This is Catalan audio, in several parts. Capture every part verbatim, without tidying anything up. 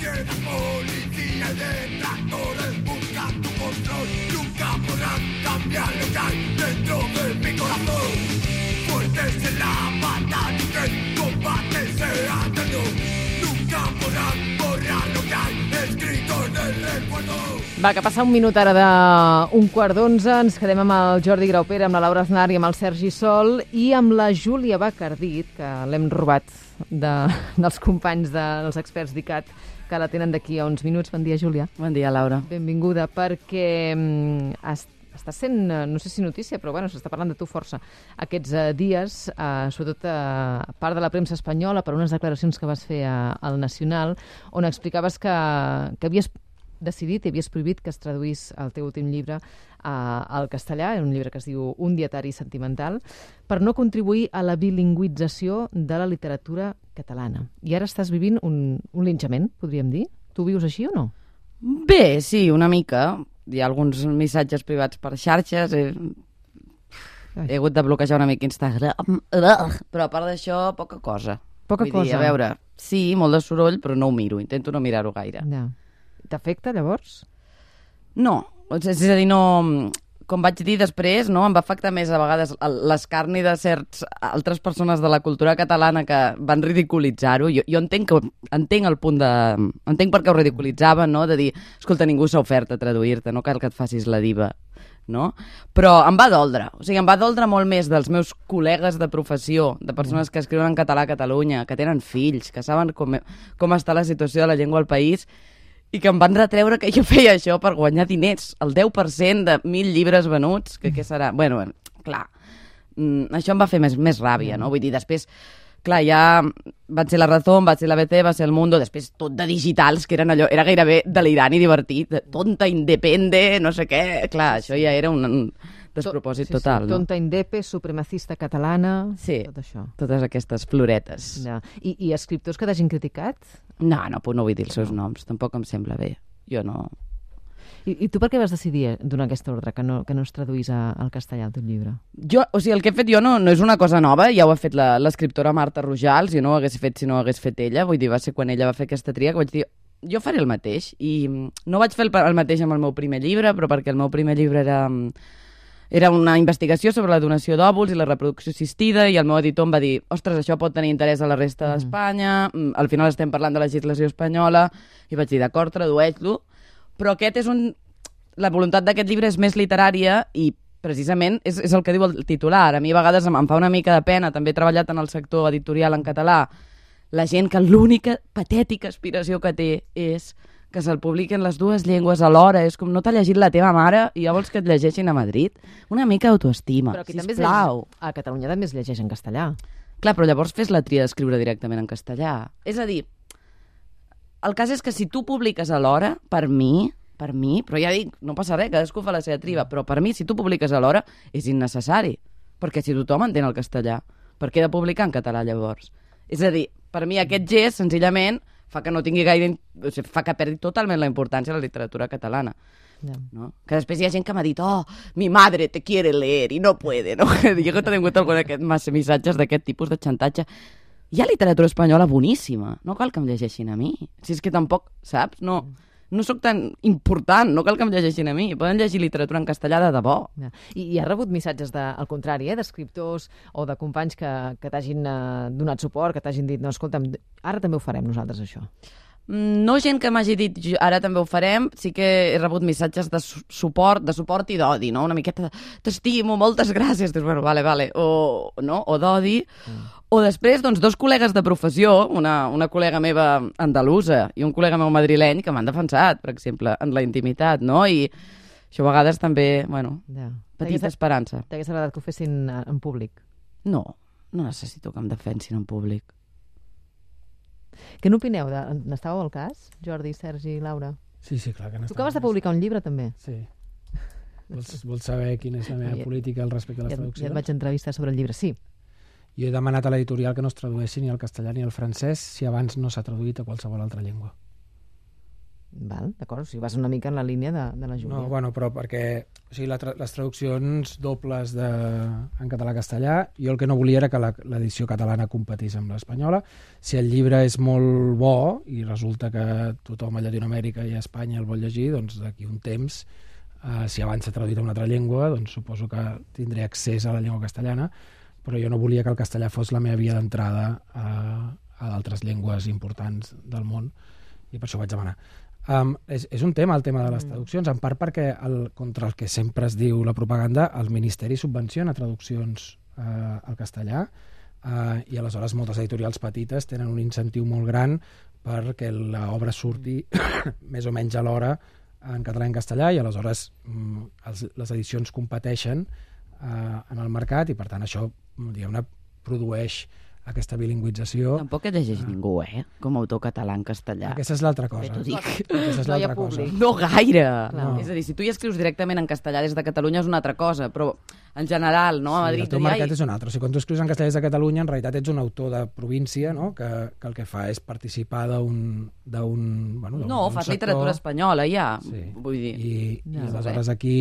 tienes policía y detractores buscan tu control. Nunca podrán cambiar lo que hay dentro de mi corazón. Fuertes en la batalla que el combate sea eterno. Nunca podrán borrar lo que hay escrito en el recuerdo. Va, que passa un minut ara d'un quart d'onze. Ens quedem amb el Jordi Graupera, amb la Laura Aznar i amb el Sergi Sol i amb la Júlia Bacardit, que l'hem robat de, dels companys de, dels experts d'I C A T, que la tenen d'aquí a uns minuts. Bon dia, Júlia. Bon dia, Laura. Benvinguda, perquè um, està sent, no sé si notícia, però bueno, s'està parlant de tu força aquests uh, dies, uh, sobretot a uh, part de la premsa espanyola, per unes declaracions que vas fer uh, al Nacional, on explicaves que, que havies decidit i havies prohibit que es traduís el teu últim llibre uh, al castellà, un llibre que es diu Un dietari sentimental, per no contribuir a la bilingüització de la literatura catalana. I ara estàs vivint un, un linxament, podríem dir? Tu vius així o no? Bé, sí, una mica. Hi ha alguns missatges privats per xarxes. He, he hagut de bloquejar una mica Instagram. Però a part d'això, poca cosa. Poca Vull cosa? dir, a veure, sí, molt de soroll, però no ho miro. Intento no mirar-ho gaire. Ja. T'afecta, llavors? No, és a dir, no... Com vaig dir després, no, em va afectar més a vegades l'escarni de certs altres persones de la cultura catalana que van ridiculitzar-ho. Jo, jo entenc, que, entenc el punt de... Entenc per què ho ridiculitzaven, no?, de dir, escolta, ningú s'ha ofert a traduir-te, no cal que et facis la diva, no? Però em va doldre. O sigui, em va doldre molt més dels meus col·legues de professió, de persones que escriuen en català a Catalunya, que tenen fills, que saben com, com està la situació de la llengua al país, i que em van retreure que jo feia això per guanyar diners. El deu per cent de mil llibres venuts, que què serà? Bueno, bueno, clar, mm, això em va fer més, més ràbia, no? Vull dir, després, clar, ja va ser La Razón, va ser la A B C, va ser El Mundo, després tot de digitals, que eren allò, era gairebé delirant i divertit, tonta, independe, no sé què, clar, això ja era un, un despropòsit sí, total, sí. no? Tonta, indepe, supremacista catalana, sí, tot això. Totes aquestes floretes. Ja. I, I escriptors que t'hagin criticat? No, no, no vull dir els seus noms, tampoc em sembla bé. Jo no... I, i tu per què vas decidir donar aquesta ordre, que no, que no es traduís a, al castellà el teu llibre? Jo, o sigui, el que he fet jo no, no és una cosa nova, ja ho ha fet la, l'escriptora Marta Rojals, jo no ho hagués fet si no ho hagués fet ella, vull dir, va ser quan ella va fer aquesta tria que vaig dir, jo faré el mateix, i no vaig fer el, el mateix amb el meu primer llibre, però perquè el meu primer llibre era... Era una investigació sobre la donació d'òvuls i la reproducció assistida i el meu editor em va dir, ostres, això pot tenir interès a la resta mm. d'Espanya, al final estem parlant de legislació espanyola, i vaig dir, d'acord, tradueix-lo, però aquest és un... La voluntat d'aquest llibre és més literària i precisament és, és el que diu el titular. A mi a vegades em, em fa una mica de pena, també he treballat en el sector editorial en català, la gent que l'única patètica aspiració que té és que se'l publiquen les dues llengües alhora, és com no t'ha llegit la teva mare i ja vols que et llegeixin a Madrid. Una mica d'autoestima, sisplau. A Catalunya també es llegeix en castellà. Clar, però llavors fes la tria d'escriure directament en castellà. És a dir, el cas és que si tu publiques alhora, per mi, per mi, però ja dic, no passa res, cadascú fa la seva triba, però per mi, si tu publiques alhora, és innecessari, perquè si tothom entén el castellà, per què he de publicar en català llavors? És a dir, per mi aquest gest, senzillament, fa que no tingui gaire... O sigui, fa que perdi totalment la importància de la literatura catalana. Yeah. No? Que després hi ha gent que m'ha dit oh, mi madre te quiere leer i no puede, no? Jo he tingut alguns missatges d'aquest tipus de xantatge. Hi ha literatura espanyola boníssima, no cal que em llegeixin a mi. Si és que tampoc, saps? No, no sóc tan important, no cal que em llegeixin a mi. Poden llegir literatura en castellà de debò. Ja. I, I ha rebut missatges de, al contrari, eh, d'escriptors o de companys que, que t'hagin uh, donat suport, que t'hagin dit, no, escolta'm, ara també ho farem nosaltres, això. No gent que m'hagi dit ara també ho farem, sí que he rebut missatges de suport, de suport i d'odi, no? Una miqueta de t'estimo, moltes gràcies, dius, bueno, vale, vale, o, no? o d'odi, mm. o després, doncs, dos col·legues de professió, una, una col·lega meva andalusa i un col·lega meu madrileny que m'han defensat, per exemple, en la intimitat, no? I això a vegades també, bueno, ja. petita esperança. T'hagués agradat que ho fessin en públic? No, no necessito que em defensin en públic. Què n'opineu? De... N'estàveu al cas, Jordi, Sergi, Laura? Sí, sí, clar que n'estàveu. Tu acabes de publicar un llibre, també? Sí. Vols, vols saber quina és la meva ja, política al respecte a les ja, traduccions? Ja et vaig entrevistar sobre el llibre, sí. Jo he demanat a l'editorial que no es tradueixi ni al castellà ni al francès si abans no s'ha traduït a qualsevol altra llengua. Val, d'acord, o sigui, vas una mica en la línia de, de la Júlia. No, bueno, però perquè o sigui, la tra les traduccions dobles de, en català-castellà, jo el que no volia era que l'edició catalana competís amb l'espanyola. Si el llibre és molt bo i resulta que tothom a Llatinoamèrica i a Espanya el vol llegir, doncs d'aquí un temps, eh, si abans s'ha traduït en una altra llengua, doncs suposo que tindré accés a la llengua castellana, però jo no volia que el castellà fos la meva via d'entrada a, a d'altres llengües importants del món, i per això vaig demanar. Um, és, és un tema, el tema de les traduccions, en part perquè el, contra el que sempre es diu la propaganda, el Ministeri subvenciona traduccions uh, al castellà, uh, i aleshores moltes editorials petites tenen un incentiu molt gran perquè l'obra surti més o menys a l'hora en català i en castellà, i aleshores um, els, les edicions competeixen uh, en el mercat, i per tant això, diguem-ne, produeix aquesta bilingüització. Tampoc et llegeix uh, ningú, eh? Com a autor català en castellà. Aquesta és l'altra cosa. T'ho dic. Aquesta és No hi ha l'altra cosa. públic. No gaire. No. És a dir, si tu hi escrius directament en castellà des de Catalunya és una altra cosa, però en general, no? A Sí, Madrid... el teu ja hi- mercat és un altre. O sigui, quan tu escrius en castellà des de Catalunya, en realitat ets un autor de província, no? que, que el que fa és participar d'un... d'un bueno, No, d'un fas sector. literatura espanyola, ja. Sí. Vull dir... I, No, i aleshores aquí,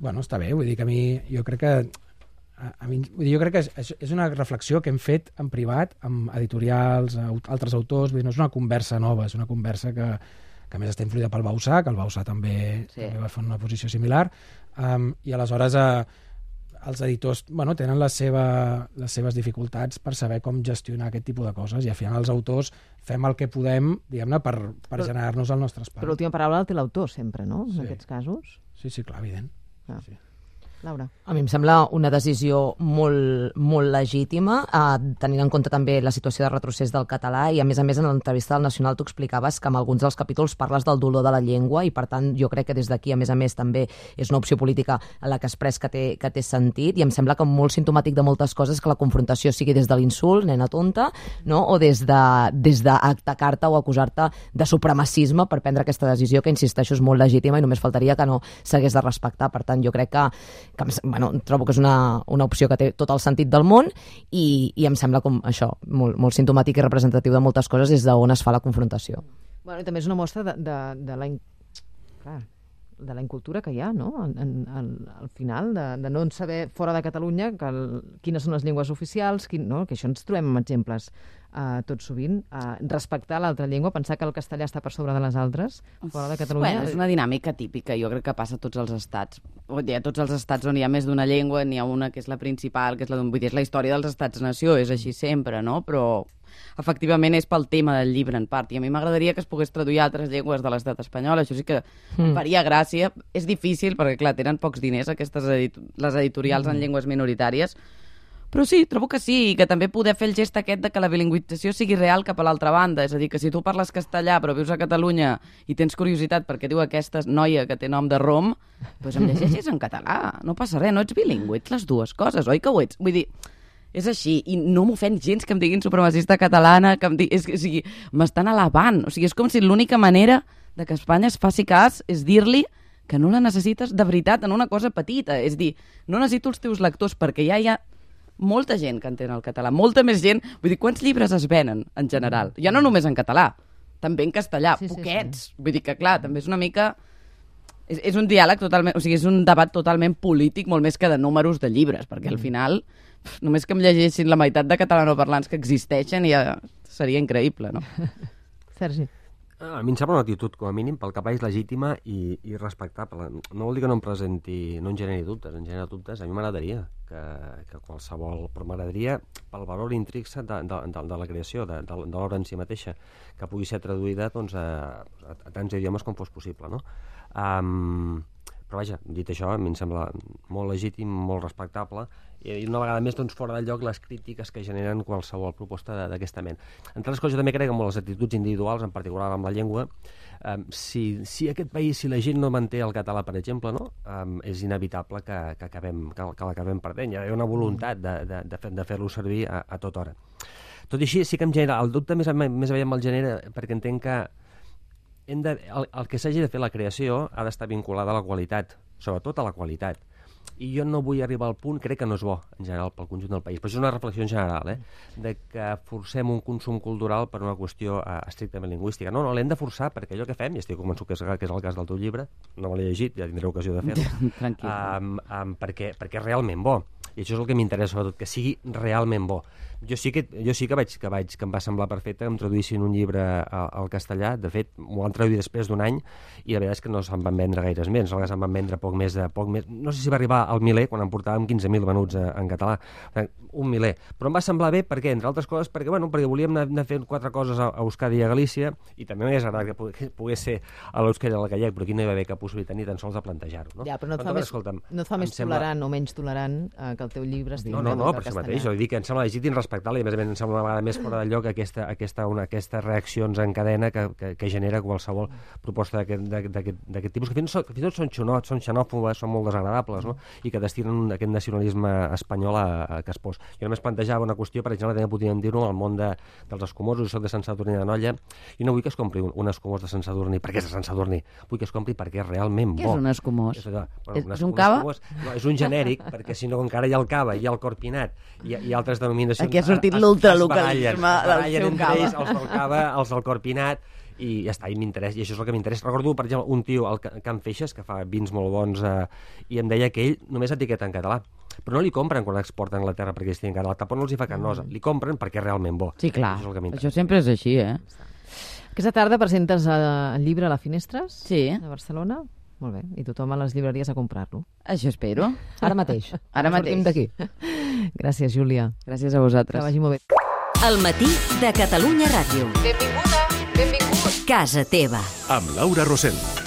bueno, està bé, vull dir que a mi, jo crec que a, a mi, vull dir, jo crec que és, és una reflexió que hem fet en privat amb editorials, aut, altres autors, vull dir, no és una conversa nova, és una conversa que, que a més està influïda pel Bausà, que el Bausà també, Sí. també va fer una posició similar, um, i aleshores eh, els editors bueno, tenen la seva, les seves dificultats per saber com gestionar aquest tipus de coses, i al final els autors fem el que podem, diguem-ne, per, per Però- generar-nos el nostre espai. Però l'última paraula la té l'autor sempre, no? En Sí. aquests casos. Sí, sí, clar, evident. Ah. Sí. Laura. A mi em sembla una decisió molt, molt legítima, eh, tenint en compte també la situació de retrocés del català, i a més a més en l'entrevista del Nacional tu explicaves que en alguns dels capítols parles del dolor de la llengua, i per tant jo crec que des d'aquí a més a més també és una opció política a la que has pres que té, que té sentit, i em sembla que molt simptomàtic de moltes coses que la confrontació sigui des de l'insult, nena tonta, no? O des de des d'atacar-te o acusar-te de supremacisme per prendre aquesta decisió, que insisteixo és molt legítima i només faltaria que no s'hagués de respectar. Per tant, jo crec que que em, bueno, trobo que és una, una opció que té tot el sentit del món, i, i em sembla com això, molt, molt simptomàtic i representatiu de moltes coses des d'on es fa la confrontació. Bueno, i també és una mostra de, de, de la... In... Clar, de la incultura que hi ha, no? En, en, en, al final, de, de no saber fora de Catalunya que el, quines són les llengües oficials, quin, no? Que això ens trobem amb exemples uh, tot sovint. Uh, respectar l'altra llengua, pensar que el castellà està per sobre de les altres, fora de Catalunya. Bueno, és una dinàmica típica, jo crec que passa a tots els estats. Vull dir, a tots els estats on hi ha més d'una llengua, n'hi ha una que és la principal, que és la d'un... Vull dir, és la història dels estats-nació, és així sempre, no? Però efectivament és pel tema del llibre en part, i a mi m'agradaria que es pogués traduir a altres llengües de l'estat espanyol, això sí que em faria gràcia. És difícil perquè, clar, tenen pocs diners aquestes edit les editorials en llengües minoritàries, però sí, trobo que sí, i que també poder fer el gest aquest de que la bilingüització sigui real cap a l'altra banda, és a dir, que si tu parles castellà però vius a Catalunya i tens curiositat perquè diu aquesta noia que té nom de rom, doncs em llegeixes en català, no passa res, no ets bilingüe, ets les dues coses, oi que ho ets? Vull dir, és així, i no m'ofèn gens que em diguin supremacista catalana, que em digui, és, o sigui, m'estan alabant, o sigui, és com si l'única manera de que Espanya es faci cas és dir-li que no la necessites de veritat en una cosa petita, és dir, no necessito els teus lectors perquè ja hi ha molta gent que entén el català, molta més gent, vull dir, quants llibres es venen en general? Ja no només en català, també en castellà, Sí, sí, poquets, vull dir que clar, també és una mica... És, és un diàleg totalment, o sigui, és un debat totalment polític, molt més que de números de llibres, perquè al final pf, només que em llegessin la meitat de catalanoparlants que existeixen ja seria increïble, no? Sergi. A mi em sembla una actitud, com a mínim, pel que és legítima i, i respectable. No vol dir que no em presenti, no en generi dubtes, en genera dubtes. A mi m'agradaria que, que qualsevol... Però m'agradaria, pel valor intrínsec de, de, de, de la creació, de, de, de l'obra en si mateixa, que pugui ser traduïda doncs, a, a, a tants idiomes com fos possible, no? Um, però vaja, dit això, a mi em sembla molt legítim, molt respectable, i una vegada més doncs, fora de lloc les crítiques que generen qualsevol proposta d'aquesta ment. Entre les coses, jo també crec que amb les actituds individuals, en particular amb la llengua, um, si, si aquest país, si la gent no manté el català, per exemple, no? um, és inevitable que, que, acabem, que, que l'acabem perdent. Hi ha una voluntat de, de, de, fer, de fer-lo servir a, a tota hora. Tot i així, sí que em genera, el dubte més, més aviat me'l genera perquè entenc que hem de, el, el que s'hagi de fer la creació ha d'estar vinculada a la qualitat, sobretot a la qualitat. i jo no vull arribar al punt, crec que no és bo, en general, pel conjunt del país. Però això és una reflexió en general, eh? De que forcem un consum cultural per una qüestió eh, estrictament lingüística. No, no, l'hem de forçar perquè allò que fem, i estic convençut que és, que és el cas del teu llibre, no me l'he llegit, ja tindré ocasió de fer-ho, Tranquil. um, um, perquè, perquè és realment bo. I això és el que m'interessa, sobretot, que sigui realment bo. Jo sí que, jo sí que, vaig, que, vaig, que em va semblar perfecte que em traduïssin un llibre al, al castellà. De fet, m'ho van traduir després d'un any i la veritat és que no se'n van vendre gaires més. No se'n van vendre poc més de... Poc més. No sé si va arribar al miler, quan en portàvem quinze mil venuts a, en català. Un miler. Però em va semblar bé, per què? Entre altres coses, perquè, bueno, perquè volíem anar, anar fent quatre coses a, a Euskadi i a Galícia, i també m'hagués agradat que pogués, pogués ser a l'Euskadi i al gallec, però aquí no hi va haver cap possibilitat ni tan sols de plantejar-ho. No? Ja, però no et fa, Però, més, escolta'm, no et fa més sembla... tolerant o menys tolerant eh, que el teu llibre estigui No, no, no, traduït per al això castellà. mateix. Jo dic que em sembla legítim respectar-la i, a més a més, em sembla una vegada més fora de lloc aquesta, aquesta, una, aquestes reaccions en cadena que, que, que genera qualsevol proposta d'aquest tipus, que fins, fins i tot són, xenòfobes, són xenòfobes, són molt desagradables, no? I que destinen aquest nacionalisme espanyol a, a que es pos. Jo només plantejava una qüestió, per exemple, també podríem dir-ho, al món de, dels escumosos, jo soc de Sant Sadurní de Nolla, i no vull que es compri un, un escumós de Sant Sadurní perquè és de Sant Sadurní, vull que es compri perquè és realment bo. Què és un escumós? És, allò, És- un és un escumós- cava? escumós- No, és un genèric, perquè si no encara hi ha el cava, hi ha el corpinat, i, i altres denominacions... Aquí ha sortit es- l'ultralocalisme es barallen, del es barallen seu entre cava. ells, els del cava, els del corpinat, i ja està, i m'interessa, i això és el que m'interessa. Recordo, per exemple, un tio al Ca- Can Feixes, que fa vins molt bons, eh, i em deia que ell només etiqueta en català, però no li compren quan exporta a Anglaterra perquè estigui en català, tampoc no els hi fa cap nosa, li compren perquè és realment bo. Sí, clar. Això és el que m'interessa. Això sempre és així, eh? Aquesta tarda presentes eh, el llibre a la Finestres Sí. de Barcelona. Molt bé, i tothom a les llibreries a comprar-lo. Això espero. Ara mateix. Ara Sortim mateix. d'aquí. Gràcies, Júlia. Gràcies a Que vosaltres. vagi molt bé. El matí de Catalunya Ràdio. Benvinguda, benvingut. Casa teva. Amb Laura Rosell.